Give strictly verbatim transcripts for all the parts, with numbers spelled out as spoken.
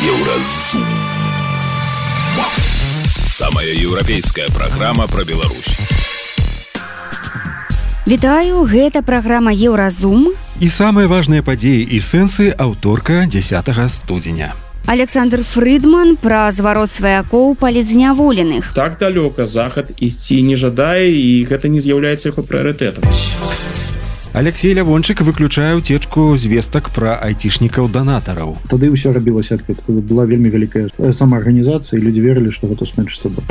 Еўразум. Самая еўрапейская праграма пра Беларусь. Вітаю, гэта праграма Еўразум. І самыя важныя падзеі і сэнсы аўторка дзесятага студзеня. Александр Фрыдман пра зварот сваякоў палітзняволеных. Так далёка захад ісці не жадае, і гэта не з'яўляецца яго прыярытэтам. Алексей Лявончык выключае ўцечку звестак пра айцішнікаў-данатараў. Тады ўсё рабілася адкрыта. Была вельмі вялікая самаарганізацыя, і людзі верылі, што гэта скончыцца бы.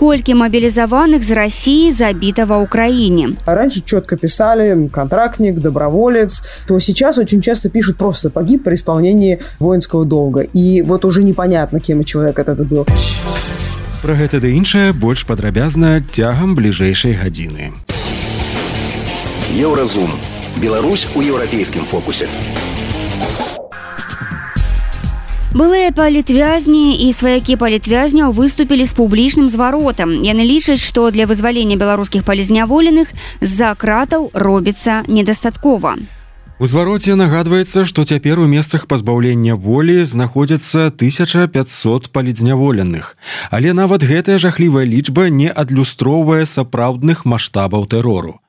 Колькі мобилизованных з России забито в Украине. Раньше четко писали контрактник, доброволец, то сейчас очень часто пишут просто погиб при исполнении воинского долга. И вот уже непонятно, кем человек этот был. Про гэта да іншае больш падрабязна цягам бліжэйшай гадзіны. Еўразум. Беларусь у еўрапейскім фокусе. Былыя палітвязні і сваякі палітвязняў выступілі з публічным зваротам. Яны лічаць, што для вызвалення беларускіх палітзняволеных з-за кратаў робіцца недастаткова. У звароце нагадваецца, што цяпер у месцах пазбаўлення волі знаходзяцца тысяча пятьсот палітзняволеных. Але нават гэтая жахлівая лічба не адлюстроўвае сапраўдных маштабаў тэрору.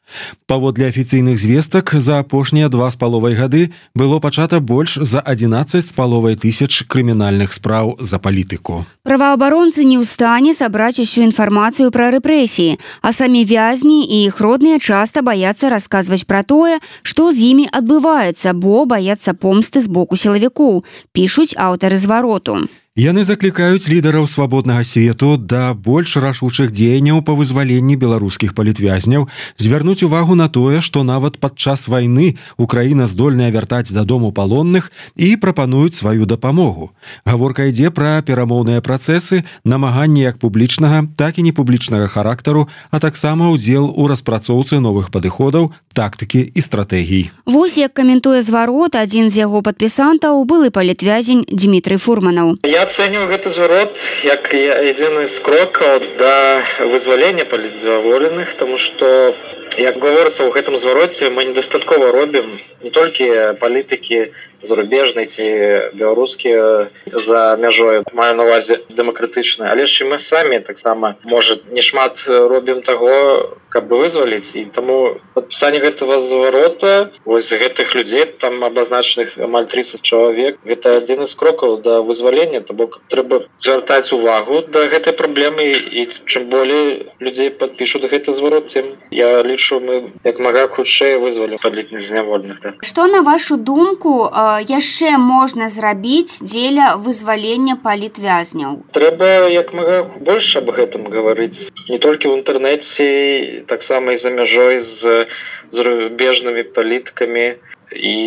Паводле афіцыйных звестак, за апошнія два з паловай гады было пачата больш за адзінаццаць з паловай тысяч крымінальных спраў за палітыку. Праваабаронцы не ў стане сабраць усю інфармацыю пра рэпрэсіі, а самі вязні і іх родныя часта баяцца расказваць пра тое, што з імі адбываецца, бо баяцца помсты з боку сілавікоў, пішуць аўтары звароту. Яны заклікаюць лідараў свабоднага свету да больш рашучых дзеянняў па вызваленні беларускіх палітвязняў, звярнуць увагу на тое, што нават падчас вайны Украіна здольная вяртаць дадому палонных, і прапануюць сваю дапамогу. Гаворка ідзе пра перамоўныя працэсы, намаганні як публічнага, так і непублічнага характару, а таксама ўдзел у распрацоўцы новых падыходаў, тактыкі і стратэгій. Вось як каментуе зварот адзін з яго падпісантаў, былы палітвязень Дмітрый Фурманаў. Я оцениваю гэты зварот як адзін з крокаў да вызвалення палітзняволеных, тому што, як гаворыцца ў гэтым звароце, мы недастаткова робім не толькі палітыкі зарубежнай ці беларускія за мяжой, маю на ўвазе дэмакратычныя, але ж і мы самі таксама, можа, не шмат робім таго, каб вызваліць, і таму падпісанне гэтага зварота, вось гэтых людзей, там абазначаных амаль тридцать чалавек, гэта адзін з крокаў да вызвалення, то бок трэба звяртаць увагу да гэтай праблемы, і чым болей людзей падпішуць гэты зварот, тым я лічу, мы як мага хутчэй вызвалім палітзняволеных. Так. Што, на вашу думку, яшчэ можна зрабіць дзеля вызвалення палітвязняў? Трэба як мага больш аб гэтым гаварыць, не толькі ў інтэрнэце, таксама і за мяжой з зарубежнымі палітыкамі, і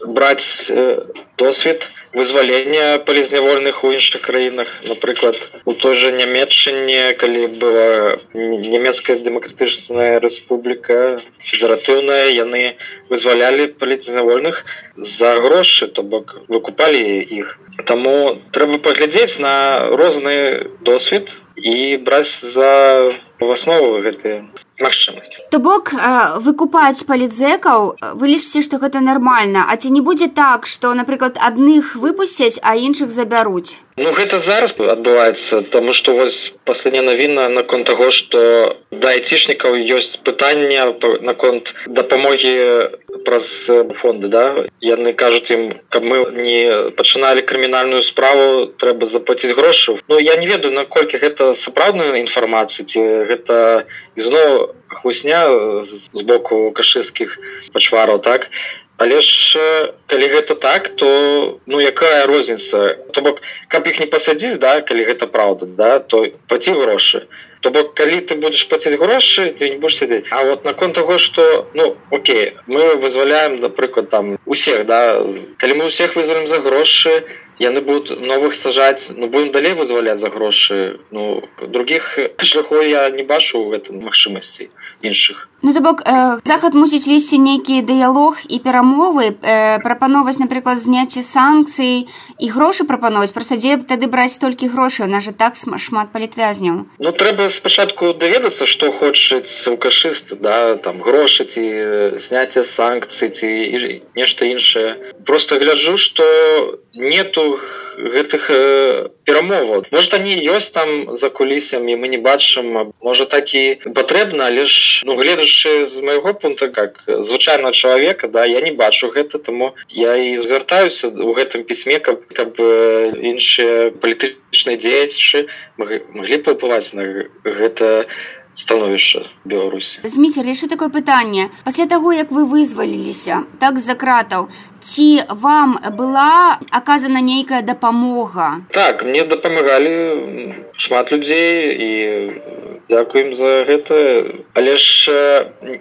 браць досвед вызвалення палітзняволеных у іншых краінах. Напрыклад, у той жа Нямецчыне, калі была Нямецкая дэмакратычная рэспубліка, федэратыўная, яны вызвалялі палітзняволеных за грошы, то бок выкупалі іх. Таму трэба паглядзець на розны досвед і браць за аснову гэтыя магчымасці. То бок, выкупаць палітзекаў, вы лічыце, што гэта нармальна, а ці не будзе так, што, напрыклад, адных выпусцяць, а іншых забяруць? Ну, гэта зараз адбываецца, таму што вось паслядняя навіна наконт таго, што да айцішнікаў ёсць пытанне наконт дапамогі праз фонды, да? Яны кажуць ім, каб мы не пачыналі крымінальную справу, трэба заплаціць грошы. Ну, я не ведаю, наколькі гэта сапраўдная інфармацыя, ці гэта ізноў хлусня з боку кашысцкіх пачвараў, так? Але ж, калі гэта так, то, ну, якая розніца? То бок, каб іх не пасадзіць, да, калі гэта праўда, да, то плаці грошы. То бок, калі ты будзеш плаціць грошы, ты не будзеш сядзець. А вот наконт таго, што, ну, окей, мы вызваляем, напрыклад, там, усіх, да, калі мы усіх вызвалім за грошы, яны будуць новых сажаць, ну, будем далей вызваляць за грошы. Ну, других шляхоў я не бачу ў гэтым магчымасцей іншых. Ну, то бок, э, Захад мусіць весці нейкі дыялог і перамовы, э, прапановаць, напрыклад, зняцце санкцый і грошы прапановаць. Проста дзе тады браць столькі грошай? У нас жа так шмат палітвязняў. Ну, трэба спачатку даведацца, што хочуць алкашысты, да, там, грошы ці зняцце санкцый ці нешта іншае. Просто гляджу, што нету ну гэтых э, перамоваў. Может, они ёсць там за кулісамі, мы не бачым, можа так і патрэбна, але ж ну гледачы з майго пункта как звычайнага чалавека, да, я не бачу гэта, таму я і звяртаюся у гэтым пісьме, каб каб э, іншыя палітычныя дзеячы маглі паўплываць на гэта становішча Беларусі. Зміцер, яшчэ такое пытанне. Пасля таго, як вы вызваліліся так з-за кратаў, ці вам была аказана нейкая дапамога? Так, мне дапамагалі шмат людзей і дзякуем за гэта. Але ж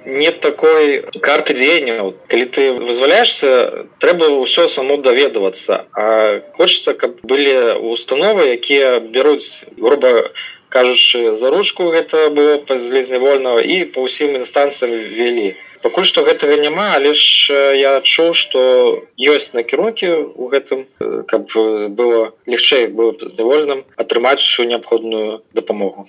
нет такой карты дзеянняў. Калі ты вызваляешься, трэба ўсё само даведавацца. А хочацца, каб былі установы, якія бяруць, груба кажучы, за ручку гэта было пазлізнявольнага і па ўсім інстанцыям вялі. Пакуль што гэтага няма, але ж я адчуў, што ёсць накірункі ў гэтым, каб было лягчэй было пазнявольным атрымаць усю неабходную дапамогу.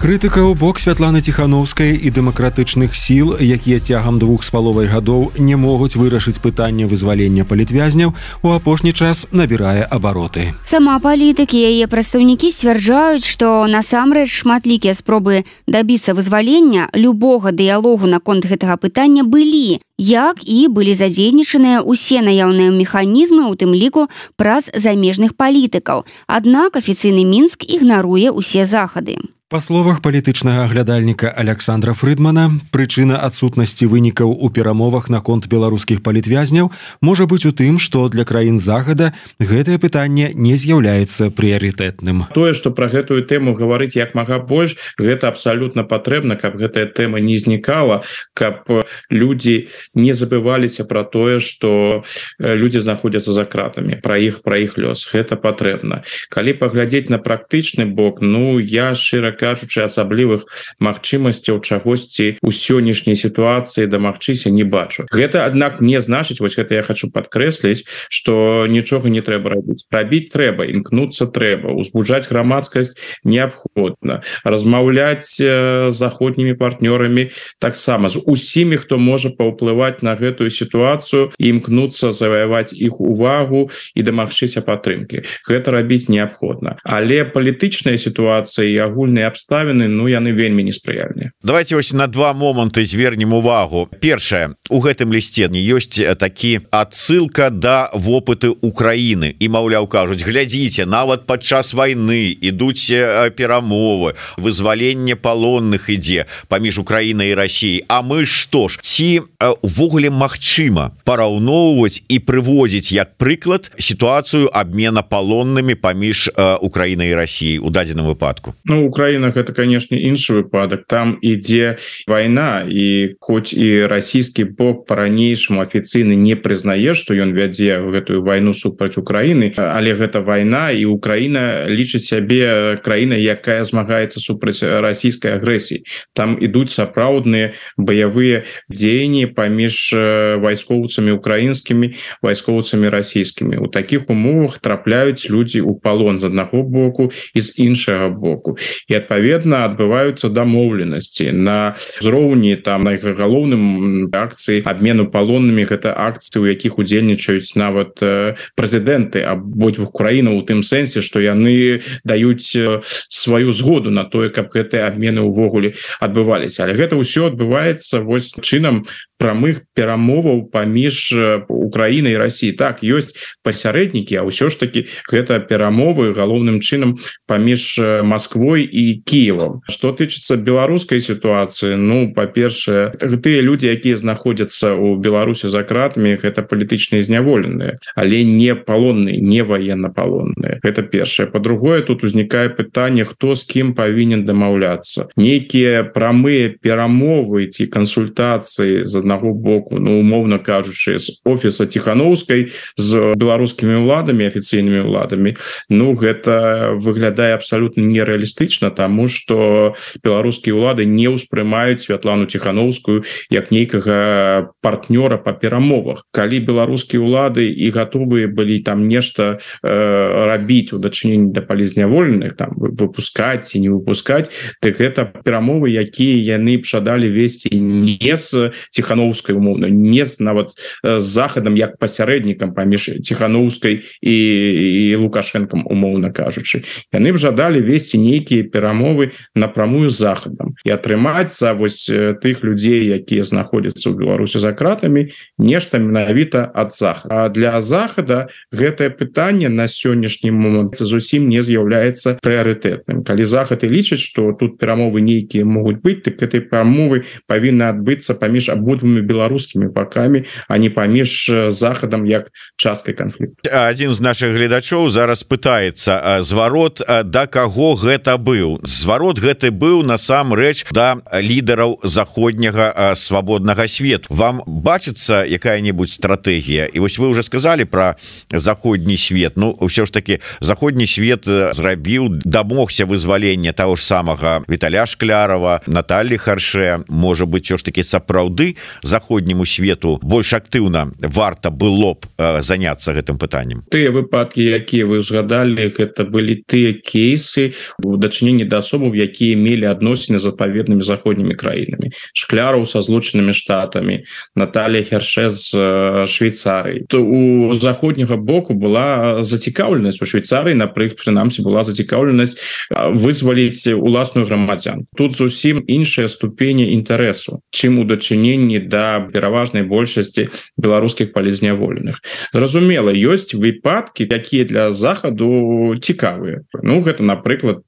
Крытыка ў бок Святланы Ціханаўскай і дэмакратычных сіл, якія цягам двух з паловай гадоў не могуць вырашыць пытанне вызвалення палітвязняў, у апошні час набірае абароты. Сама палітык і яе прадстаўнікі сцвярджаюць, што насамрэч шматлікія спробы дабіцца вызвалення любога дыялогу наконт гэтага пытання былі, як і былі задзейнічаныя ўсе наяўныя механізмы, у тым ліку праз замежных палітыкаў. Аднак афіцыйны Мінск ігнаруе ўсе захады. Па словах палітычнага аглядальніка Александра Фрыдмана, прычына адсутнасці вынікаў у перамовах наконт беларускіх палітвязняў можа быць у тым, што для краін Захада гэтае пытанне не з'яўляецца прыярытэтным. Тое, што пра гэтую тэму гаварыць як мага больш, гэта абсалютна патрэбна, каб гэтая тэма не знікала, каб людзі не забываліся пра тое, што людзі знаходзяцца за кратамі, пра іх, пра іх лёс. Гэта патрэбна. Калі паглядзець на практычны бок, ну, я шчыра кажучы, асаблівых магчымасцяў чагосьці ў сённяшняй сітуацыі дамагчыся не бачу. Гэта, аднак, не значыць, вось гэта я хочу падкрэсліць, што нічога не трэба рабіць. Рабіць трэба, імкнуцца трэба, узбуджаць грамадскасць неабходна, размаўляць з заходнімі партнёрамі таксама, з усімі, хто можа паўплываць на гэтую сітуацыю, і імкнуцца заваяваць іх увагу і дамагчыся падтрымкі. Гэта рабіць неабходна. Але палітычная сітуацыя і агульныя абставіны, ну, яны вельмі неспрыяльныя. Давайте вось на два моманты звернем увагу. Першае, у гэтым лісце ёсць такі адсылка да вопыты Украіны. І, маўляў, кажуць, глядзіце, нават падчас вайны ідуць перамовы, вызваленне палонных ідзе паміж Украінай і Расіяй. А мы што ж, ці увогуле магчыма параўноўваць і прыводзіць як прыклад сітуацыю абмена палоннымі паміж Украінай і Расіяй у дадзеным выпадку? Ну, Украіна гэта, канешне, іншы выпадак. Там ідзе вайна, і хоць і расійскі бок па-ранейшаму афіцыйна не прызнае, што ён вядзе гэтую вайну супраць Украіны, але гэта вайна, і Украіна лічыць сябе краінай, якая змагаецца супраць расійскай агрэсіі. Там ідуць сапраўдныя баявыя дзеянні паміж вайскоўцамі украінскімі, вайскоўцамі расійскімі. У такіх умовах трапляюць людзі ў палон з аднаго боку і з іншага боку. І адпаведна адбываюцца дамоўленасці на ўзроўні там на галоўным акцыі абмену палоннымі. Гэта акцыі, у якіх удзельнічаюць нават прэзідэнты абодвух краінаў, у тым сэнсе, што яны даюць сваю згоду на тое, каб гэтыя абмены ўвогуле адбываліся. Але гэта ўсё адбываецца вось чынам прамых перамоваў паміж Украінай і Расіяй. Так, ёсць пасярэднікі, а ўсё ж такі гэта перамовы галоўным чынам паміж Масквой і Кіевам. Што тычыцца беларускай сітуацыі, ну, па-першае, тыя людзі, якія знаходзяцца ў Беларусі за кратамі, гэта палітычныя зняволеныя, але не палонныя, не ваеннапалонныя. Гэта першае. Па-другое, тут узнікае пытанне, хто з кім павінен дамаўляцца. Нейкія прамыя перамовы ці кансультацыі з аднаго боку, ну, умоўна кажучы, з офіса Ціханаўскай з беларускімі ўладамі, афіцыйнымі ўладамі, ну, гэта выглядае абсалютна нереалістычна, таму што беларускія ўлады не ўспрымаюць Святлану Ціханаўскую як нейкага партнёра па перамовах. Калі беларускія ўлады і гатовыя былі там нешта э, рабіць у дачыненні да палізняволеных, там выпускаць ці не выпускаць, так гэта перамовы, якія яны б жадалі весці не з Ціханаўскай, Тихановскай умоўна, не з нават з захадам як пасярэднікам паміж Тихановскай і, і Лукашенком, умоўна кажучы. Яны б жадалі весці нейкія перамовы напрамую з захадам і атрымаць за вось тых людзей, якія знаходзяцца ў Беларусі за кратамі, нешта менавіта ад захада. А для захада гэтае пытанне на сённяшні момант зусім не з'яўляецца прыярытэтным. Калі захад і лічыць, што тут перамовы нейкія могуць быць, так гэтай перамовы павінны адбыцца паміж абодвумі беларускімі бакамі, а не паміж захадам як часткай канфлікту. Адзін з нашых гледачоў зараз пытаецца: зварот да каго гэта быў? Зварот гэты быў насамрэч да лідараў заходняга свабоднага свету. Вам бачыцца якая-небудзь стратэгія? І вось вы уже сказали про заходні свет. Ну ўсё ж таки заходні свет зрабіў, дамогся вызвалення того ж самага Віталя Шклярова, Натальи Харше. Можа быть, ўсё ж таки сапраўды заходняму свету больш актыўна варта было б заняться гэтым пытаннем. Тыя выпадкі, якія вы згадалі, гэта былі тыя кейсы у дачыненні да асобаў, якія мелі адносіны з адпаведнымі заходнімі краінамі. Шкляраў са злучанымі штатамі, Наталья Харше з Швейцарыі. То у заходняга боку была зацікаўленасць, у Швейцарыі, напрыклад, прынамсі была зацікаўленасць вызваліць уласную грамадзянку. Тут зусім іншая ступені інтарэсу, чым у дачыненні да пераважнай большасці беларускіх палізняволеных. Зразумела, ёсць выпадкі, якія для захаду цікавыя. Ну, гэта, напрыклад,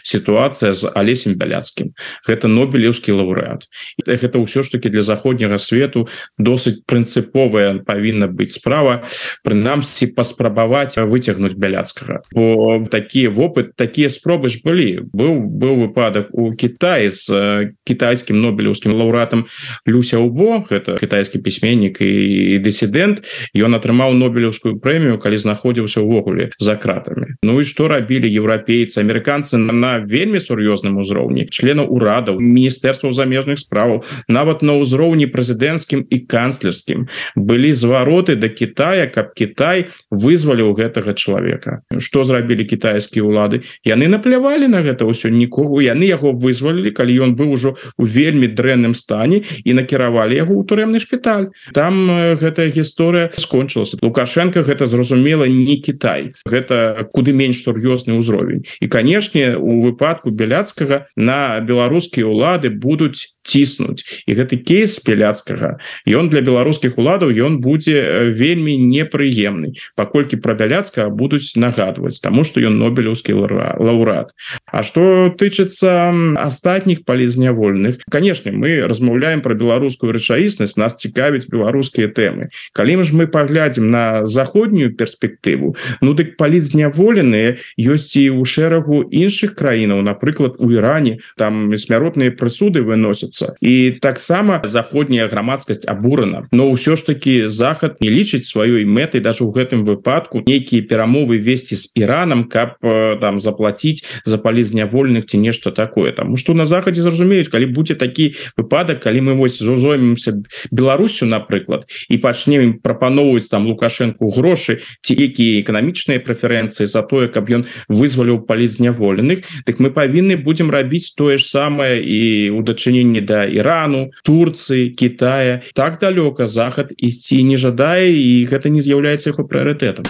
сітуацыя з Алесем Бяляцкім. Гэта нобелеўскі лаўрэат. Гэта ўсё ж таки для заходняга свету досыць прынцыповая павінна быць справа, прынамсі паспрабаваць выцягнуць Бяляцкага. Бо такія вопыт, такія спробы ж былі. Быў, быў выпадак у Кітаі з кітайскім нобелеўскім лаўрэатам Лю Сяобо, гэта кітайскі пісьменнік і дысідэнт. Ён атрымаў нобелеўскую прэмію, калі знаходзіўся ўвогуле за кратамі. Ну і што рабілі еўрапейцы, амерыканцы на вельмі сур'ёзным узроўні, членаў урадаў, міністэрстваў замежных справаў, нават на ўзроўні прэзідэнцкім і канцлерскім былі звароты да Китая, каб Китай вызваліў гэтага чалавека. Што зрабілі кітайскія ўлады? Яны наплявалі на гэта ўсё, нікого, яны яго вызвалілі, калі ён быў ужо у вельмі дрэнным стане, і накіравалі яго ў турэмны шпіталь. Там гэтая гісторыя скончылася. Лукашенко гэта, зразумела, не Китай. Гэта куды менш сур'ёзны ўзровень. І, канешне, у выпадку Бяляцкага на беларускія ўлады будуць ціснуць. І гэты кейс Бяляцкага, ён для беларускіх уладаў ён будзе вельмі непрыемны, паколькі пра Бяляцкага будуць нагадваць, таму што ён нобелеўскі лаўрэат. А што тычыцца астатніх палізняволеных, канешне, мы размаўляем пра беларускую рэчаіснасць, нас цікавяць беларускія тэмы. Калі ж мы паглядзім на заходнюю перспектыву, ну дык палізняволеныя ёсць і ў шэрагу іншых краінаў, напрыклад, у Іране, там смяротныя прысуды выносяцца. І таксама заходняя грамадскасць абурана. Но ўсё ж таки захад не лічыць сваёй мэтай даже ў гэтым выпадку нейкія перамовы весці з Іранам, каб там заплаціць за палізняволеных ці нешта такое. Таму што на захадзе зразумеюць, калі будзе такі выпадак, калі мы вось зоймемся Беларусю, напрыклад, і пачнем ім прапаноўваць там Лукашенку грошы ці якія эканамічныя прэферэнцыі за тое, каб ён вызваліў палізняволеных, дык мы павінны будзем рабіць тое ж самае і ў дачыненні да Ірану, Турцыі, Китая. Так далёка захад ісці не жадае, і гэта не з'яўляецца яго прыярытэтам.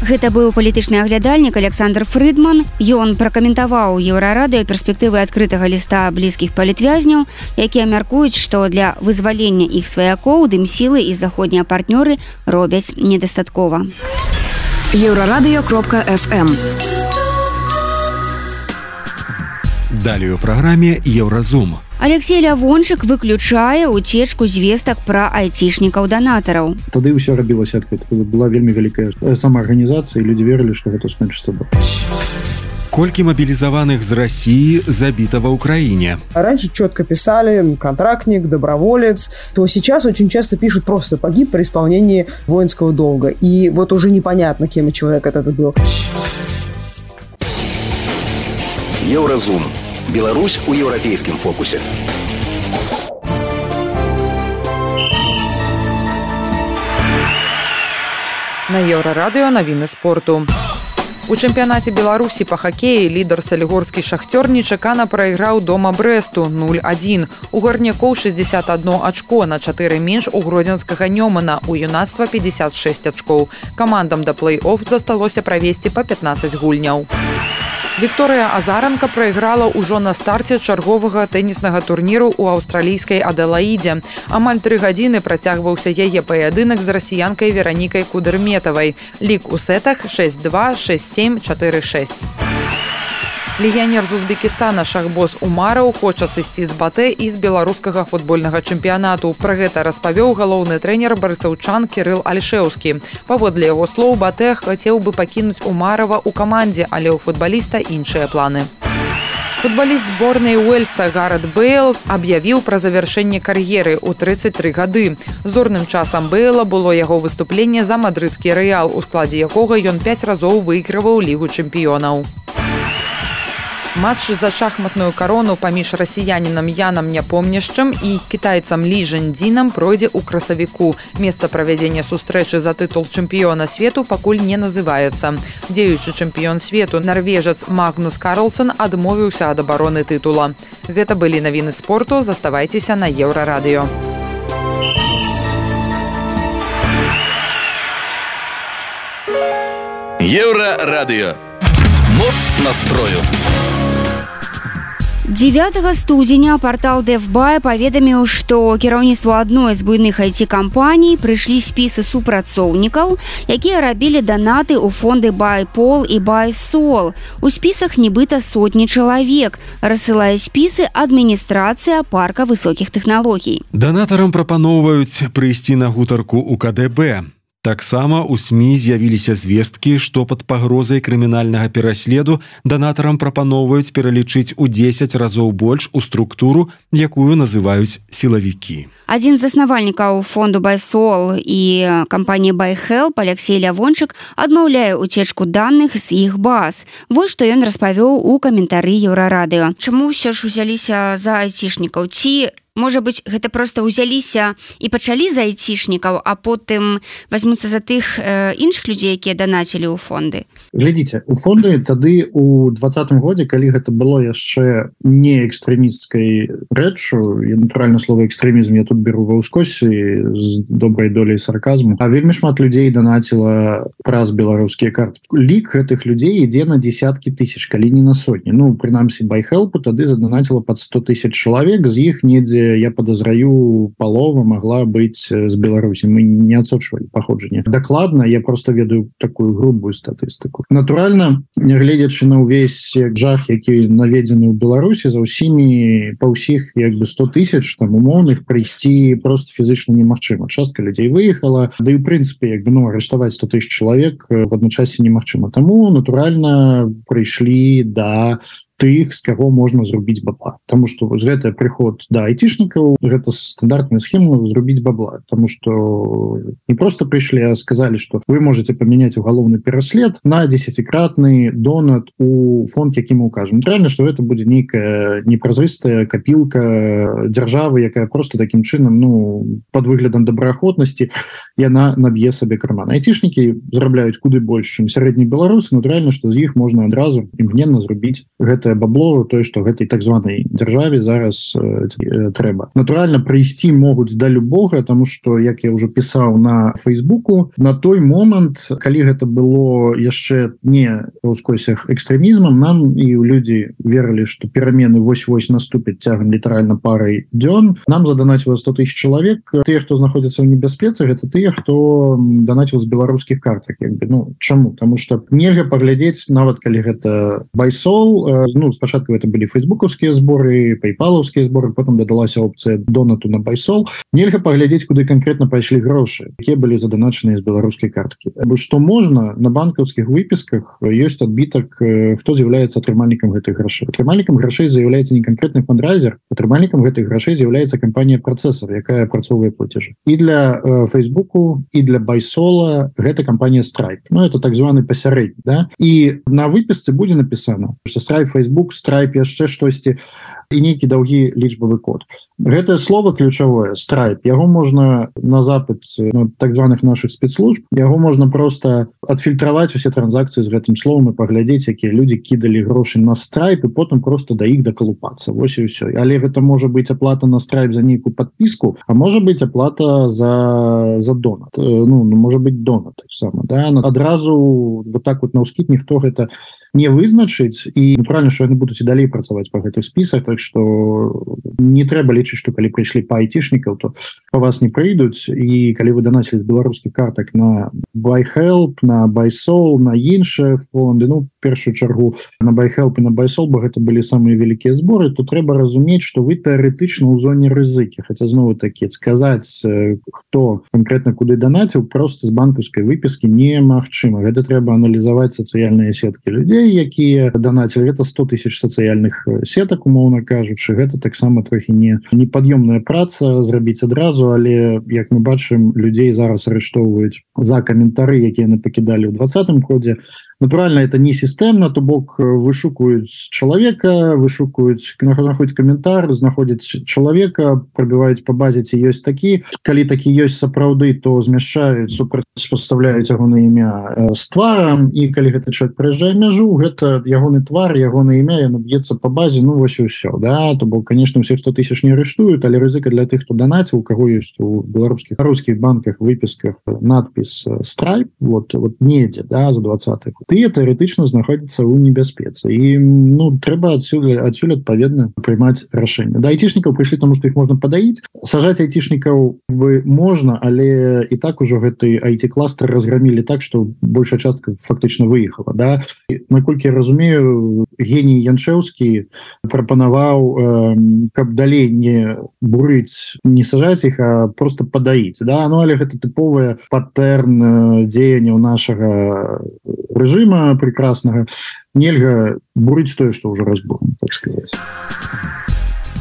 Гэта быў палітычны аглядальнік Александр Фрыдман. Ён пракаментаваў Еўрарадыё перспектывы адкрытага ліста блізкіх палітвязняў, якія мяркуюць, што для вызвалення іх сваякоў дымсілы і заходнія партнёры робяць недастаткова. еўрарадыё кропка эф эм. Далее у праграме Еўразум. Алексей Лявончык выключае уцечку звестак пра айцішнікаў-данатараў. Тады ўсё рабілася адкрыта. Была вельмі вялікая самаарганізацыя, і людзі верылі, што гэта скончыцца добра. Колькі мобилизованных з России забито в Украине? Раньше четко писали контрактник, доброволец, то сейчас очень часто пишут просто погиб при исполнении воинского долга. И вот уже непонятно, кем человек этот был. Еўразум. Беларусь у еўрапейскім фокусе. На Еўрарадыё навіны спорту. У чэмпіянаце Беларусі па хакеі лідар салігорскі «Шахтёр» нечакана прайграў дома Брэсту нуль адзін. У гарнякоў шэсцьдзесят адно ачко, на чатыры менш у гродзенскага Нёмана, у юнацтва пятьдесят шесть ачкоў. Камандам да плэй-офф засталося правесці па пятнаццаць гульняў. Вікторыя Азаранка прайграла ўжо на старце чарговага тэніснага турніру ў аўстралійскай Аделаідзе. Амаль тры гадзіны працягваўся яе паядынак з расіянкай Веранікай Кудэрметавай. Лік у сетах шэсць два, шэсць сем, чатыры шэсць. Легіянер з Узбекістана Шахбоз Умараў хоча сысці з батэ і з беларускага футбольнага чэмпіянату. Пра гэта распавёў галоўны трэнер барысаўчан Кірыл Альшэўскі. Паводле яго слоў, батэ хацеў бы пакінуць Умарава ў камандзе, але ў футбаліста іншыя планы. Футбаліст зборнай Уэльса Гарэт Бэйл аб'явіў пра завяршэнне кар'еры ў трыццаць тры гады. Зорным часам Бэйла было яго выступленне за мадрыдскі Рэал, у складзе якога ён пяць разоў выйграваў Лігу чэмпіёнаў. Матч за шахматную карону паміж расіянінам Янам Няпомняшчым і кітайцам Лі Жэндзінам пройдзе ў красавіку. Месца правядзення сустрэчы за тытул чэмпіёна свету пакуль не называецца. Дзеючы чэмпіён свету нарвежац Магнус Карлсон адмовіўся ад абароны тытула. Гэта былі навіны спорту, заставайцеся на Еўрарадыё. Еўрарадыё. Моц настрою. дзевятага студзеня партал Дэвбай паведаміў, што кіраўніцтву адной з буйных ай ти-кампаній прыйшлі спісы супрацоўнікаў, якія рабілі данаты ў фонды BuyPol і BuySol. У спісах нібыта сотні чалавек. Рассылае спісы адміністрацыя парка высокіх тэхналогій. Данатарам прапаноўваюць прыйсці на гутарку ў ка дэ бэ. Таксама ў СМІ з'явіліся звесткі, што пад пагрозай крымінальнага пераследу данатарам прапаноўваюць пералічыць у дзесяць разоў больш у структуру, якую называюць сілавікі. Адзін з заснавальнікаў фонду BuySol і кампаніі BuyHelp Алексей Лявончык адмаўляе уцечку даных з іх баз. Вось што ён распавёў у каментары Еўрарадыё. Чаму ўсё ж узяліся за айцішнікаў? Ці можа быць, гэта проста ўзяліся і пачалі за айцішнікаў, а потым возьмуцца за тых э, іншых людзей, якія данацілі ў фонды? Глядзіце, у фонды тады у двадцатым годзе, калі гэта было яшчэ не экстрэмісцкай рэччу, і натуральна слова экстрэмізм я тут беру ва ўскосе з добрай доляй сарказму, а вельмі шмат людзей данаціла праз беларускія карты. Лік гэтых людзей ідзе на десяткі тысяч, калі не на сотні. Ну, прынамсі, BuyHelp тады заданаціла пад сто тысяч чалавек, з іх недзе, я подозраю, палова могла быць з Беларусі. Мы не адсочвалі паходжанне. Дакладна, я просто ведаю такую грубую статыстыку. Натуральна, нягледзячы на ўвесь жах, які наведзены ў Беларусі, за ўсімі, па ўсіх як бы сто тысяч там умоўных прыйсці просто фізычна немагчыма. Частка людзей выехала, да і ў прынцыпе, як бы, ну, арыштаваць сто тысяч чалавек в адначасе немагчыма. Таму, натуральна, прыйшлі да тых, з каго можна зрубіць бабла. Таму што вось гэта прыход да айцішнікаў, гэта стандартная схема зрубіць бабла. Таму што не проста прыйшлі, а сказалі, што вы можете памяняць угалоўны пераслед на дзесяцікратны донат у фонд, які мы укажем. Натуральна, што гэта будзе нейкая непразрыстая капілка дзяржавы, якая просто такім чынам, ну, пад выглядам добраахвотнасці яна наб'е сабе карман. Айцішнікі зарабляюць куды больш, чым сярэдні беларусы. Натуральна, што з іх можна адразу імгненна зрубіць гэта бабло, тое, што гэтай так званай дзяржаве зараз э, трэба. Натуральна, прыйсці могуць да любога, таму што, як я ўжо пісаў на Фейсбуку, на той момант, калі гэта было яшчэ не ў скосях экстрэмізмам, нам і людзі верылі, што перамены вось-вось наступяць цягам літаральна парай дзён. Нам заданаціла сто тысяч чалавек. Тыя, хто знаходзіцца ў небяспецы, гэта тыя, хто данаціў з беларускіх картак. Як бы. Ну, чаму? Таму што нельга паглядзець, нават калі гэта BuySol, ну, спачатку это былі фейсбукаўскія зборы, пейпалаўскія зборы, потым дадалася опцыя донату на BuySol. Нельга паглядзець, куды канкрэтна пайшлі грошы, якія былі заданачаныя з беларускай карткі. Што можна, на банкаўскіх выпісках ёсць адбітак, хто з'яўляецца атрымальнікам гэтых грошай. Атрымальнікам грошай з'яўляецца не канкрэтны фандрайзер, атрымальнікам гэтых грошай з'яўляецца кампанія працэсар, якая апрацоўвае плацежы. І для э, Фейсбуку, і для BuySol гэта кампанія Stripe. Ну, это так званы пасярэдні, да? І на выпісцы будзе напісана, што Stripe, Facebook, Stripe, яшчэ штосьці. і нейкі даўгі лічбавы код. Гэтае слово ключавое Stripe, яго можна на запыт ну, так званых наших спецслужб, яго можна просто адфільтраваць усе транзакцыі з гэтым словом і паглядзець, якія людзі кідалі грошы на Stripe і потым просто да іх дакалупацца. Вось і ўсё. Але гэта можа быць аплата на Stripe за нейкую подпіску, а можа быць аплата за за донат. Ну, можа быць донат так само, да? Адразу вот так вот наўскід ніхто гэта не вызначыць і натуральна, што яны будуць і далей працаваць па гэтых спісах, так што не трэба лічыць, што калі прыйшлі па айцішнікаў, то па вас не прыйдуць, і калі вы данацілі з беларускіх картак на BuyHelp, на BuySoul, на іншыя фонды, ну, першую чаргу на BuyHelp і на BuySoul, бо гэта былі самыя вялікія зборы, то трэба разумець, што вы тэарэтычна ў зоне рызыкі, хаця знову такі сказаць, хто канкрэтна куды данаціў, проста з банкаўскай выпіскі немагчыма. Гэта трэба аналізаваць сацыяльныя сеткі людзей, якія данацілі. Гэта сто тысяч сацыяльных сетак, умоўна кажучы, гэта таксама трохі не непад'ёмная праца зрабіць адразу, але як мы бачым, людзей зараз арыштоўваюць за каментары, якія яны пакідалі ў двадцатым годзе. Натуральна, это не сістэмна, то бок вышукаюць чалавека, вышукаюць, знаходзяць каментар, знаходзяць чалавека, прабіваюць па базе, ці ёсць такі. Калі такі ёсць сапраўды, то змяшчаюць, супрацьпастаўляюць ягонае імя з тварам, і калі гэты чалавек прыязджае мяжу, гэта ягоны твар, ягонае імя, яно б'ецца па базе, ну вось і ўсё, да? То бок, конечно, ўсіх сто тысяч не арыштуюць, але рызыка для тых, хто данаціў, у каго ёсць у беларускіх рускіх банках, выпісках надпіс Stripe, вот, вот недзе, да, за двадцаты год. Тыя тэарэтычна знаходзяцца ў небяспецы. І ну, трэба адсюль, адсюль адпаведна прымаць рашэнне. Да айцішнікаў прыйшлі, таму што іх можна падаіць. Сажаць айцішнікаў бы можна, але і так ужо гэты ай ти-кластер разграмілі так, што большая частка фактычна выехала. Да? Наколькі я разумею, геній Янчэўскі прапанаваў, э, каб далей не бурыць, не сажаць іх, а просто падаіць. Да? Ну, але гэта тыповая патэрн дзеянняў нашага рэжыма прекраснага. Нельга бурыць тое, што ўжо разбурана, так сказаць.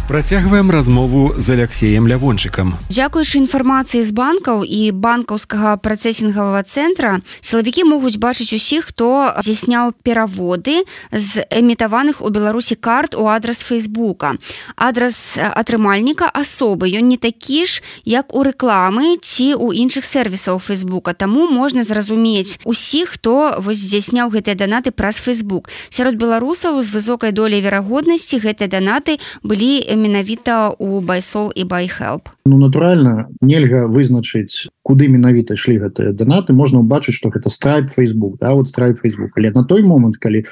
Працягваем размову з Алексеем Лявончыкам. Дзякуючы інфармацыі з банкаў і банкаўскага працэсінгавага цэнтра, сілавікі могуць бачыць усіх, хто здзяйсняў пераводы з эмітаваных у Беларусі карт у адрас Фейсбука. Адрас атрымальніка асобы, ён не такі ж, як у рэкламы ці ў іншых сервісаў Фейсбука, таму можна зразумець усіх, хто вось здзяйсняў гэтыя данаты праз Фейсбук. Сярод беларусаў з высокай доляй верагоднасці гэтыя данаты былі менавіта у BuySoul і BuyHelp. Ну, натуральна, нельга вызначыць, куды менавіта ішлі гэтыя данаты. Можна ўбачыць, што гэта Stripe Facebook, да, вот Stripe Facebook. Але на той момант, калі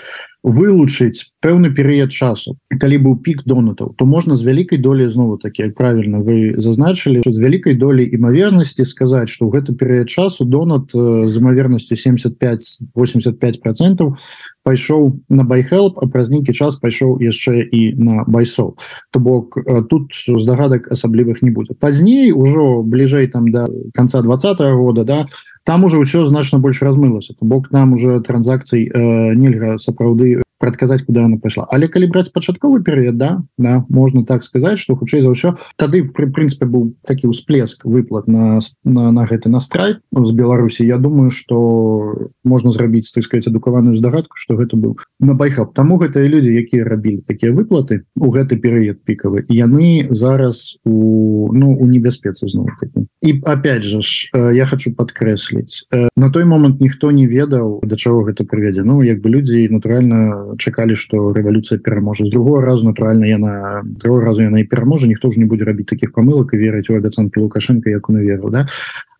вылучыць пэўны перыяд часу, калі быў пік донатаў, то можна з вялікай долей, знову такі, як правільна вы зазначылі, з вялікай долей імавернасці сказаць, што ў гэты перыяд часу донат з імавернасцю семьдесят пять - восемьдесят пять процентов пайшоў на BuyHelp, а праз нейкі час пайшоў яшчэ і на BuySoul. То бок тут здагадак асаблівых не будзе. Пазней, ужо бліжэй там да канца двадцатого года, да, там уже ўсё значна больш размылася. То бок нам уже транзакцый э, нельга сапраўды прадказаць, куды она пайшла. Але калі браць пачатковы перыяд, да, да, можна так сказаць, што хутчэй за ўсё тады пры прынцыпе быў такі ўсплеск выплат на, на, на гэты на Stripe з Беларусі. Я думаю, што можна зрабіць, так сказаць, адукаваную здагадку, што гэта быў на BuyHelp. Таму гэтыя людзі, якія рабілі такія выплаты у гэты перыяд пікавы, яны зараз у, ну, у небяспецы зноў такі. І опять же ж, я хочу падкрэсліць, на той момант ніхто не ведаў, да чаго гэта прывядзе. Ну, як бы людзі, натуральна, чакалі, што рэвалюцыя пераможа. З другого разу, натуральна, яна другого разу яна і пераможа, ніхто ж не будзе рабіць такіх памылак і верыць у абяцанкі Лукашенка, як он верыў, да?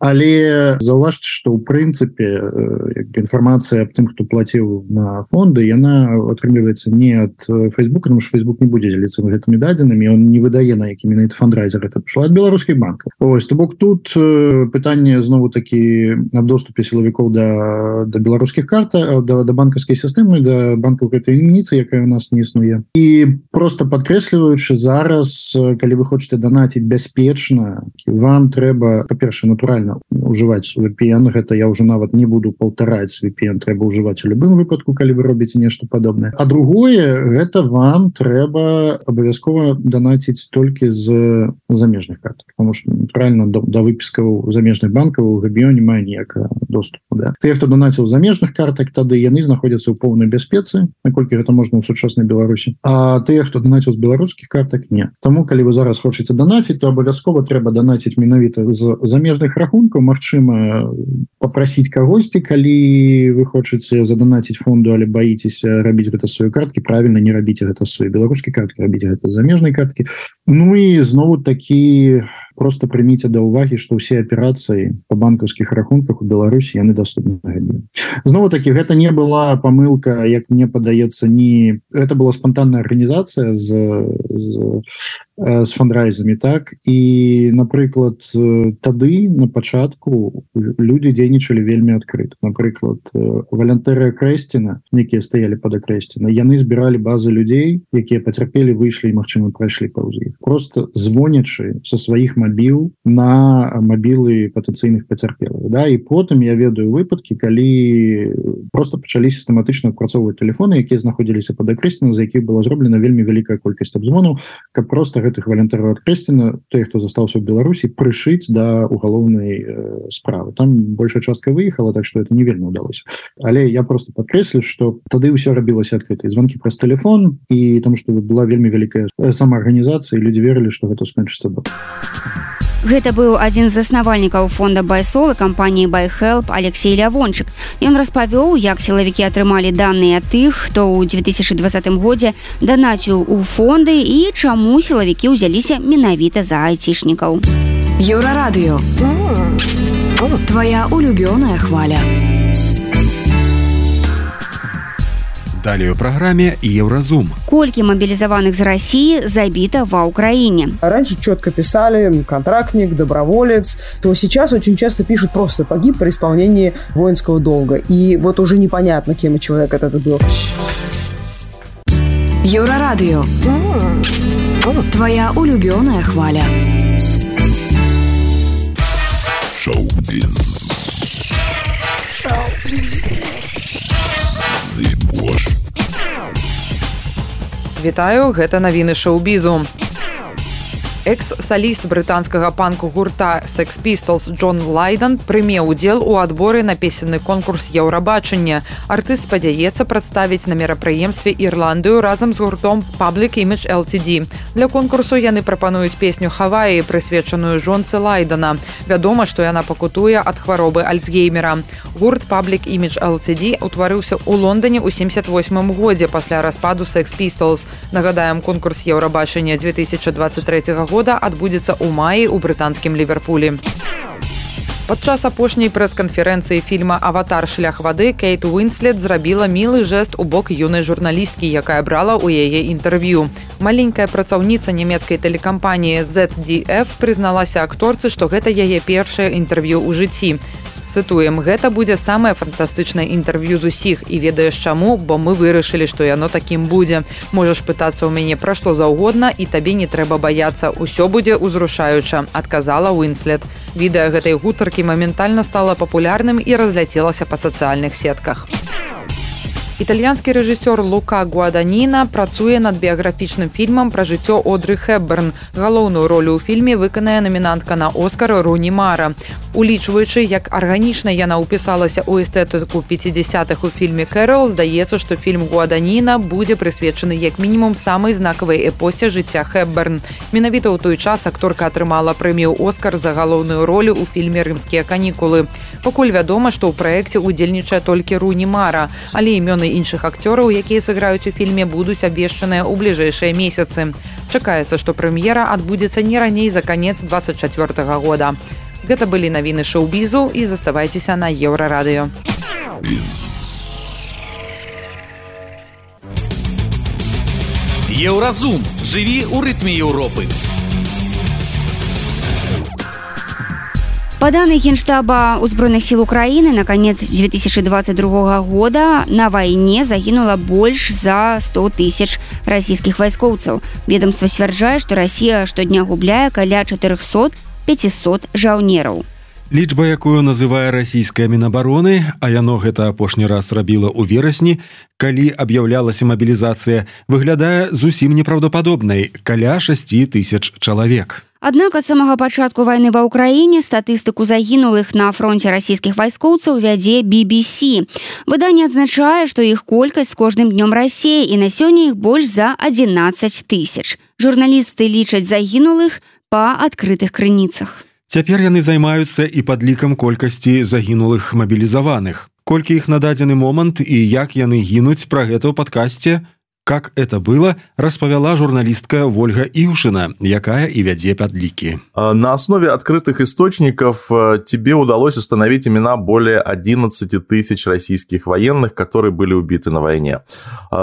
Але заўважце, што ў прынцыпе інфармацыя аб тым, хто плаціў на фонды, яна атрымліваецца не ад Фейсбука, тому што Фейсбук не будзе дзеліцца гэтымі дадзенымі, он не выдае, на які менавіта фандрайзер это пішло ад беларускіх банкаў. Ось, то бок тут пытанне знову такі аб доступе сілавікоў да, да беларускіх карт, да, да банкаўскай сістэмы, да банкаў гэтай ініцыі, якая у нас не існуе. І просто падкрэсліваючы зараз, калі вы хочаце данаціць бяспечна, вам трэба, па-першае, натуральна ужываць ви пи эн, гэта я ўжо нават не буду паўтараць, ви пи эн трэба ўжываць у любым выпадку, калі вы робіце нешта падобнае. А другое, гэта вам трэба абавязкова данаціць толькі з замежных карт, потому что натуральна да выпіскаў замежных банкаў у габіё не мае ніякага доступу. Да? Тыя, хто данаціў замежных картак, тады яны знаходзяцца ў поўнай бяспецы, наколькі гэта можна ў сучаснай Беларусі. А тыя, хто данаціў з беларускіх картак, не. Таму, калі вы зараз хочаце данаціць, то абавязкова трэба данаціць менавіта з замежных рахункаў. Магчыма, папрасіць кагосьці, калі вы хочаце заданаціць фонду, але баіцеся рабіць гэта сваёй карткі, правільна, не рабіце гэта сваёй беларускай карткі, рабіце гэта з замежнай карткі. Ну і знову такі просто прыміце да ўвагі, што ўсе аперацыі па банкаўскіх рахунках у Беларусі яны доступны. Знову такі, гэта не была памылка, як мне падаецца, не... гэта была спонтанная арганізацыя з, з, з фандрайзамі, так? І, напрыклад, тады, на пачатку, людзі дзейнічалі вельмі адкрыта. Напрыклад, валянтэры Акрэсціна, якія стаялі пад Акрэсціна, яны збіралі базы людзей, якія пацярпелі, выйшлі і, магчыма, прайшлі паўз іх. Просто звонячы са сваіх мабіл на мабілы патэнцыйных пацярпелых. Да? І потым я ведаю выпадкі, калі просто пачалі сістэматычна адпрацоўваць тэлефоны, якія знаходзіліся пад Акрэсціна, за якіх была зроблена вельмі вялікая колькасць абзвонаў, каб просто гэтых валянтэраў Акрэсціна, тыя, хто застаўся ў Беларусі, прышыць да угалоўнай э, справы. Там большая частка выехала, так што это не вельмі ўдалося. Але я просто падкрэслю, што тады ўсё рабілася адкрыта. Звонкі праз тэлефон, і таму што была вельмі вялікая самаарганізацыя, і людзі верылі, што гэта скончыцца добра. Гэта быў адзін з заснавальнікаў фонда Байсол і кампаніі Байхелп Алексей Лявончык. Ён распавёў, як сілавікі атрымалі даныя тых, хто ў две тысячы двадцатым годзе данаціў у фонды і чаму сілавікі ўзяліся менавіта за айцішнікаў. Еўрарадыё. Твоя улюбёная хваля. Далее у программе Евразум. Кольки мобилизованных из России забито во Украине? Раньше четко писали контрактник, доброволец, то сейчас очень часто пишут просто погиб при исполнении воинского долга. И вот уже непонятно, кем человек этот был. Еврорадио. Твоя улюбёная хваля. Шоу-биз. Вітаю, гэта навіны шоу-бізу. Экс-саліст брытанскага панку гурта Sex Pistols Джон Лайден прыме ўдзел у адборы на песенны конкурс Еўрабачання. Артыст спадзяецца прадставіць на мерапрыемстве Ірландыю разам з гуртом Public Image эл ти ди. Для конкурсу яны прапануюць песню «Хаваі», прысвечаную жонцы Лайдена. Вядома, што яна пакутуе ад хваробы Альцгеймера. Гурт Public Image эл ти ди утварыўся ў Лондоне ў семьдесят восьмым годзе пасля распаду Sex Pistols. Нагадаем, конкурс Еўрабачання две тысячи двадцать третьего года адбудзецца ў маі ў брытанскім Ліверпулі. Падчас апошняй прэс-канферэнцыі фільма «Аватар. Шлях вады» Кейт Уінслет зрабіла мілы жэст у бок юнай журналісткі, якая брала ў яе інтэрв'ю. Маленькая працаўніца нямецкай тэлекампаніі зет ді эф прызналася акторцы, што гэта яе першае інтэрв'ю ў жыцці. Цытуем, гэта будзе самае фантастычнае інтэрв'ю з усіх, і ведаеш чаму, бо мы вырашылі, што яно такім будзе. Можаш пытацца ў мяне пра што заўгодна, і табе не трэба баяцца, усё будзе ўзрушаюча, адказала Уінслет. Відэа гэтай гутаркі моментальна стала папулярным і разляцелася па сацыяльных сетках. Італьянскі рэжысёр Лука Гуаданіна працуе над біяграфічным фільмам пра жыццё Одры Хепберн. Галоўную ролю ў фільме выканае намінантка на Оскар Руні Мара. Улічваючы, як арганічна яна ўпісалася ў эстэтыку пяцідзясятых у фільме «Кэрол», здаецца, што фільм Гуаданіна будзе прысвечаны як мінімум самай знакавай эпосе жыцця Хепберн. Менавіта ў той час акторка атрымала прэмію «Оскар» за галоўную ролю ў фільме «Рымскія канікулы». Пакуль вядома, што ў праекце ўдзельнічае толькі Руні Мара, але імёны іншых акцёраў, якія сыграюць у фільме, будуць абвешчаныя ў бліжэйшыя месяцы. Чакаецца, што прэм'ера адбудзецца не раней за канец двадцать чацвёртага года. Гэта былі навіны шоу-бізу, і заставайцеся на Еўрарадыё. Еўразум. Жыві ў рытме Еўропы. По данным Генштаба Узброеных сил Украины, на конец две тысячи двадцать другого года на войне загинуло больше за сто тысяч российских войскоўцаў. Ведомство сцвярджае, что Россия штодня губляе каля четыреста-пятьсот жаўнераў. Лічба, якую называе расійская Мінабароны, а яно гэта апошні раз рабіла ў верасні, калі аб'яўлялася мабілізацыя, выглядае зусім непраўдападобнай – каля шасці тысяч чалавек. Аднак ад самага пачатку вайны ва ўкраіне статыстыку загінулых на фронте расійскіх вайскоўцаў вядзе би би си. Выданне адзначае, што іх колькасць з кожным днём расце, і на сёння іх больш за адзінаццаць тысяч. Журналісты лічаць загінулых па адкрытых крыніцах. Цяпер яны займаюцца і падлікам колькасці загінулых мабілізаваных. Колькі іх на дадзены момант і як яны гінуць, пра гэта ў падкасце «Как это было», распавяла журналистка Ольга Ившина, якая и вядзе подлики. На основе открытых источников тебе удалось установить имена более одиннадцати тысяч российских военных, которые были убиты на войне.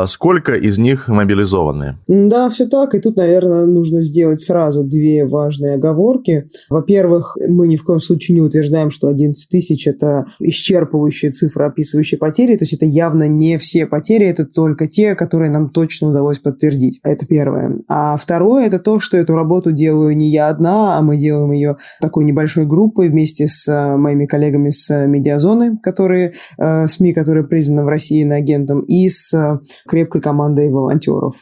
Сколько из них мобилизованы? Да, все так. И тут, наверное, нужно сделать сразу две важные оговорки. Во-первых, мы ни в коем случае не утверждаем, что одиннадцать тысяч – это исчерпывающая цифра, описывающая потери. То есть это явно не все потери, это только те, которые нам точно удалось подтвердить. Это первое. А второе – это то, что эту работу делаю не я одна, а мы делаем ее такой небольшой группой вместе с моими коллегами с Медиазоны, которые, СМИ, которые признаны в России иноагентом, и с крепкой командой волонтеров.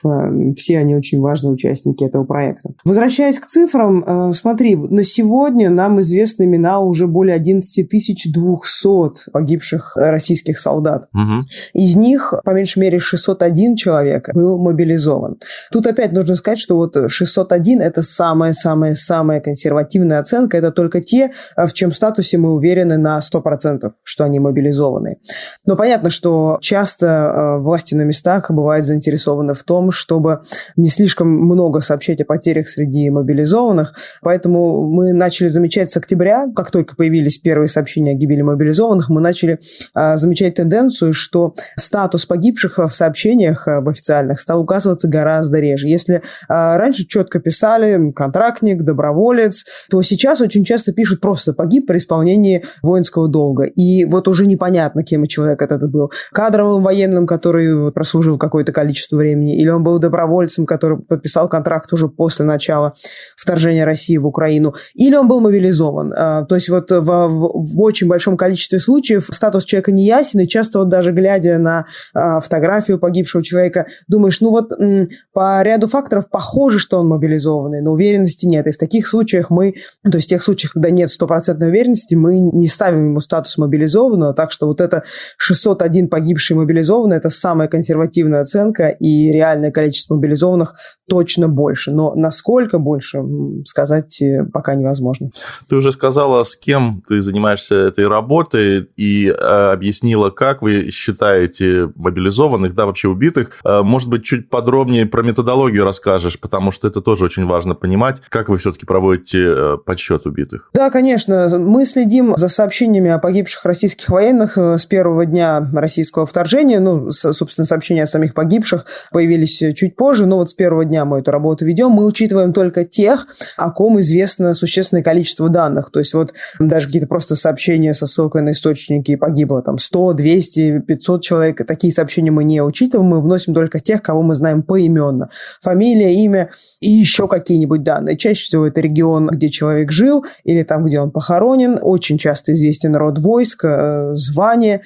Все они очень важные участники этого проекта. Возвращаясь к цифрам, смотри, на сегодня нам известны имена уже более одиннадцать тысяч двести погибших российских солдат. Угу. Из них, по меньшей мере, шестьсот один человек был мобилизован. Тут опять нужно сказать, что вот шестьсот один – это самая-самая-самая консервативная оценка. Это только те, в чьем статусе мы уверены на сто процентов, что они мобилизованы. Но понятно, что часто власти на местах бывают заинтересованы в том, чтобы не слишком много сообщать о потерях среди мобилизованных. Поэтому мы начали замечать с октября, как только появились первые сообщения о гибели мобилизованных, мы начали замечать тенденцию, что статус погибших в сообщениях в официальных стал указываться гораздо реже. Если э, раньше четко писали контрактник, доброволец, то сейчас очень часто пишут просто «погиб при исполнении воинского долга». И вот уже непонятно, кем человек этот был. Кадровым военным, который прослужил какое-то количество времени, или он был добровольцем, который подписал контракт уже после начала вторжения России в Украину, или он был мобилизован. Э, то есть вот в, в, в очень большом количестве случаев статус человека не ясен, и часто вот даже глядя на э, фотографию погибшего человека, думаешь, ну вот м, по ряду факторов похоже, что он мобилизованный, но уверенности нет. И в таких случаях мы, то есть в тех случаях, когда нет стопроцентной уверенности, мы не ставим ему статус мобилизованного, так что вот это шестьсот один погибший мобилизованный – это самая консервативная оценка, и реальное количество мобилизованных точно больше. Но насколько больше, сказать пока невозможно. Ты уже сказала, с кем ты занимаешься этой работой, и э, объяснила, как вы считаете мобилизованных, да, вообще убитых. Может быть, чуть подробнее про методологию расскажешь, потому что это тоже очень важно понимать, как вы все-таки проводите подсчет убитых. Да, конечно. Мы следим за сообщениями о погибших российских военных с первого дня российского вторжения. Ну, собственно, сообщения о самих погибших появились чуть позже, но вот с первого дня мы эту работу ведем. Мы учитываем только тех, о ком известно существенное количество данных. То есть вот даже какие-то просто сообщения со ссылкой на источники «погибло там сто, двести, пятьсот человек». Такие сообщения мы не учитываем, мы вносим только тех, кого мы знаем поименно. Фамилия, имя и еще какие-нибудь данные. Чаще всего это регион, где человек жил, или там, где он похоронен. Очень часто известен род войск, звание.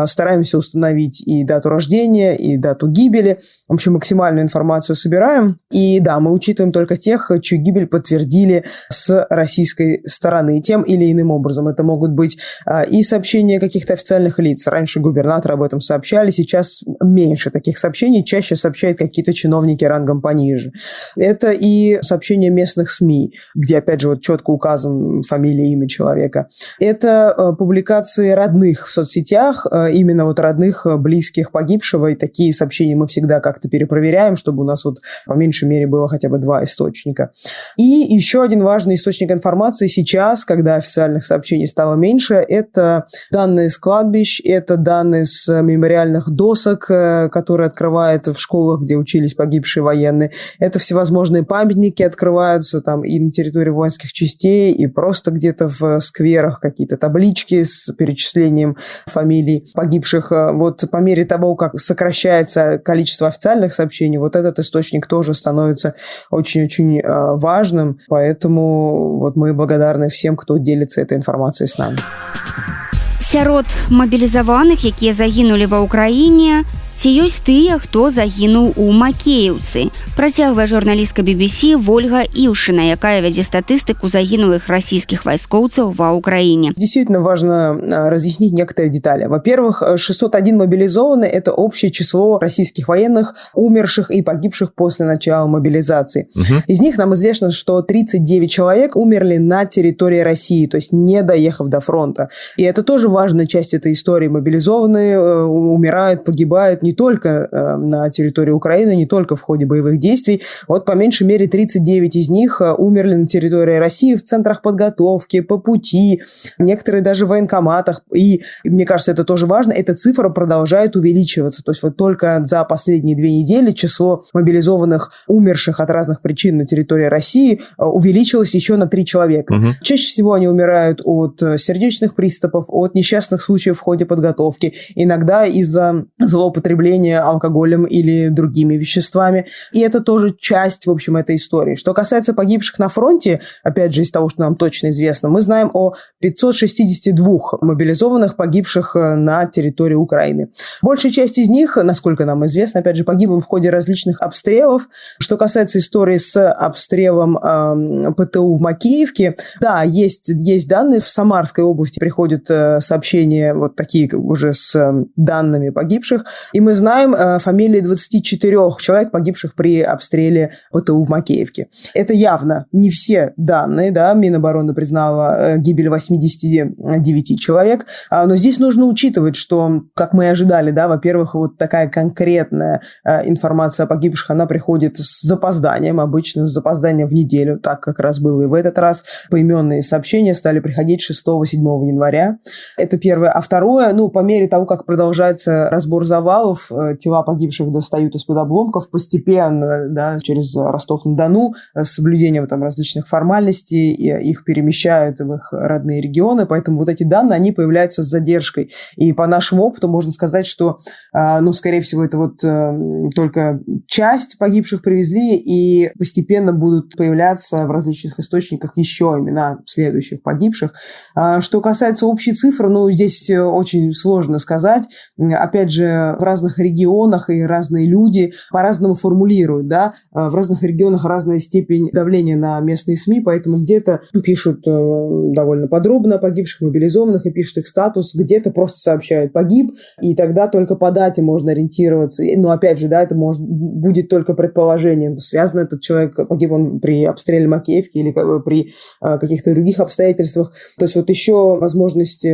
Стараемся установить и дату рождения, и дату гибели. В общем, максимальную информацию собираем. И да, мы учитываем только тех, чью гибель подтвердили с российской стороны тем или иным образом. Это могут быть и сообщения каких-то официальных лиц. Раньше губернаторы об этом сообщали, сейчас меньше таких сообщений, чаще сообщают какие-то чиновники рангом пониже. Это и сообщения местных СМИ, где, опять же, вот четко указан фамилия, имя человека. Это э, публикации родных в соцсетях, э, именно вот родных, близких погибшего, и такие сообщения мы всегда как-то перепроверяем, чтобы у нас вот по меньшей мере было хотя бы два источника. И еще один важный источник информации сейчас, когда официальных сообщений стало меньше, это данные с кладбищ, это данные с мемориальных досок, э, которые открывают в школах, где учились погибшие военные. Это всевозможные памятники открываются там и на территории воинских частей, и просто где-то в скверах какие-то таблички с перечислением фамилий погибших. Вот по мере того, как сокращается количество официальных сообщений, вот этот источник тоже становится очень-очень важным, поэтому вот мы благодарны всем, кто делится этой информацией с нами. Сярод мабілізаваных, якія загінулі ва ўкраіне, Ці ёсць тыя, хто загінуў у Макеевцы? Працягвае журналістка би би си Ольга Ившина, якая вядзе статыстыку загинулых российских войскоўцаў ва Украине. Действительно важно разъяснить некоторые детали. Во-первых, шестьсот один мобилизованные – это общее число российских военных, умерших и погибших после начала мобилизации. Угу. Из них нам известно, что тридцать девять человек умерли на территории России, то есть не доехав до фронта. И это тоже важная часть этой истории. Мобилизованные умирают, погибают не только на территории Украины, не только в ходе боевых действий. Вот по меньшей мере тридцать девять из них умерли на территории России в центрах подготовки, по пути, некоторые даже в военкоматах. И мне кажется, это тоже важно, эта цифра продолжает увеличиваться. То есть вот только за последние две недели число мобилизованных, умерших от разных причин на территории России увеличилось еще на три человека. Угу. Чаще всего они умирают от сердечных приступов, от несчастных случаев в ходе подготовки, иногда из-за злоупотребления алкоголем или другими веществами. И это тоже часть, в общем, этой истории. Что касается погибших на фронте, опять же, из того, что нам точно известно, мы знаем о пятьсот шестидесяти двух мобилизованных, погибших на территории Украины. Большая часть из них, насколько нам известно, опять же, погибла в ходе различных обстрелов. Что касается истории с обстрелом э, ПТУ в Макеевке, да, есть, есть данные. В Самарской области приходят э, сообщения вот такие уже с э, данными погибших. И мы знаем э, фамилии двадцати четырёх человек, погибших при обстреле ПТУ в Макеевке. Это явно не все данные, да, Минобороны признала э, гибель восьмидесяти девяти человек, а, но здесь нужно учитывать, что, как мы и ожидали, да, во-первых, вот такая конкретная э, информация о погибших, она приходит с запозданием, обычно с запозданием в неделю, так как раз было и в этот раз. Поименные сообщения стали приходить шестого-седьмого января. Это первое. А второе, ну, по мере того, как продолжается разбор завалов, э, тела погибших достают из-под обломков постепенно, да, через Ростов-на-Дону, с соблюдением там различных формальностей, и их перемещают в их родные регионы, поэтому вот эти данные, они появляются с задержкой. И по нашему опыту можно сказать, что, э, ну, скорее всего, это вот э, только часть погибших привезли, и постепенно будут появляться в различных источниках еще имена следующих погибших. А, что касается общей цифры, ну, здесь очень сложно сказать. Опять же, в разных регионах и разные люди по-разному формулируют, да, в разных регионах разная степень давления на местные СМИ, поэтому где-то пишут довольно подробно о погибших, мобилизованных и пишут их статус, где-то просто сообщают «погиб», и тогда только по дате можно ориентироваться. Но опять же, да, это может, будет только предположением, связан этот человек, погиб он при обстреле Макеевки или при каких-то других обстоятельствах. То есть вот еще возможность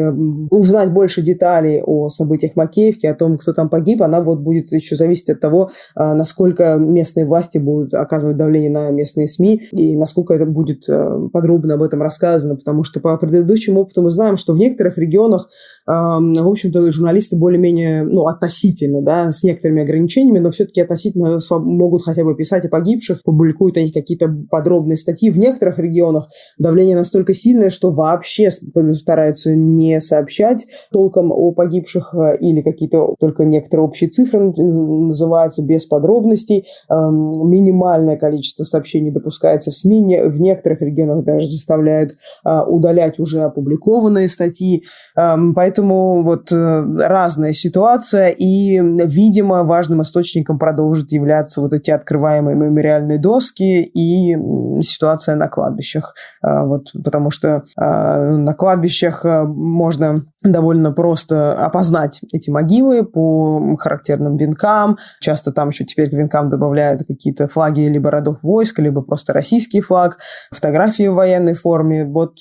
узнать больше деталей о событиях Макеевки, о том, кто там погиб, она вот будет еще зависеть от того, насколько местные власти будут оказывать давление на местные СМИ и насколько это будет подробно об этом рассказано, потому что по предыдущему опыту мы знаем, что в некоторых регионах, в общем-то, журналисты более-менее, ну, относительно, да, с некоторыми ограничениями, но все-таки относительно могут хотя бы писать о погибших, публикуют они какие-то подробные статьи. В некоторых регионах давление настолько сильное, что вообще стараются не сообщать толком о погибших или какие-то только некоторые общие цифры называются без подробностей. Минимальное количество сообщений допускается в СМИ. В некоторых регионах даже заставляют удалять уже опубликованные статьи. Поэтому вот разная ситуация, и, видимо, важным источником продолжит являться вот эти открываемые мемориальные доски и ситуация на кладбищах. Вот, потому что на кладбищах можно довольно просто опознать эти могилы по характерным венкам. Часто там еще теперь к венкам добавляют какие-то флаги либо родов войск, либо просто российский флаг, фотографии в военной форме. Вот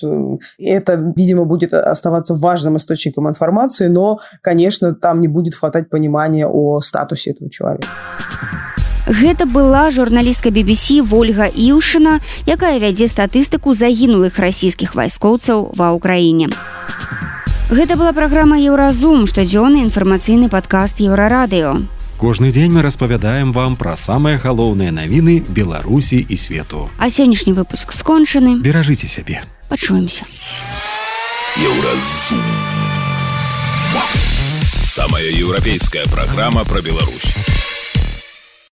это, видимо, будет оставаться важным источником информации, но, конечно, там не будет хватать понимания о статусе этого человека. Гэта была журналістка би би си Ольга Ившина, якая вядзе статыстыку загінулых расійскіх вайскоўцаў ва Ўкраіне. Гэта была праграма «Еўразум», штодзённы інфармацыйны падкаст Еўрарадыё. Кожны дзень мы распавядаем вам пра самыя галоўныя навіны Беларусі і свету. А сённяшні выпуск скончаны. Беражыце сябе. Пачуемся. Еўразум. Самая еўрапейская праграма пра Беларусь.